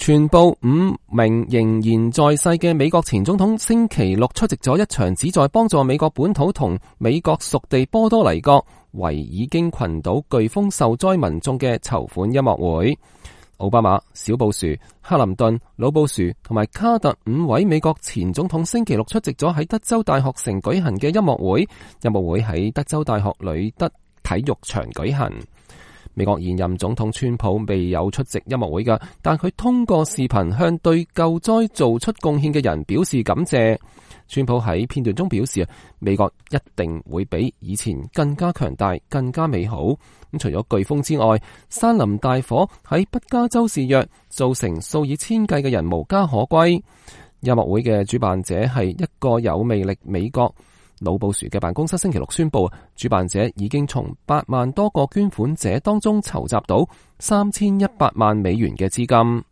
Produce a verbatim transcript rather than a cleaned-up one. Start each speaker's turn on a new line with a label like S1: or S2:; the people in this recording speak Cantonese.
S1: 全部五名仍然在世嘅美國前總統星期六出席咗一場旨在幫助美國本土同美國屬地波多黎各維爾京群島颶風受災民眾嘅籌款音樂會。奧巴馬、小布殊、克林頓、老布殊同埋卡特五位美國前總統星期六出席咗喺德州大學城舉行嘅音樂會。音樂會喺德州大學呂德體育場舉行。美國現任總統川普未有出席音樂會㗎，但佢通過視頻向對救災做出貢獻嘅人表示感謝。川普喺片段中表示，美國一定會比以前更加強大、更加美好。咁除咗颶風之外，山林大火喺北加州肆虐，造成數以千計嘅人無家可歸。音樂會嘅主辦者係一個有魅力美國。老布殊嘅辦公室星期六宣布，主辦者已經從八萬多個捐款者當中籌集到三千一百萬美元嘅資金。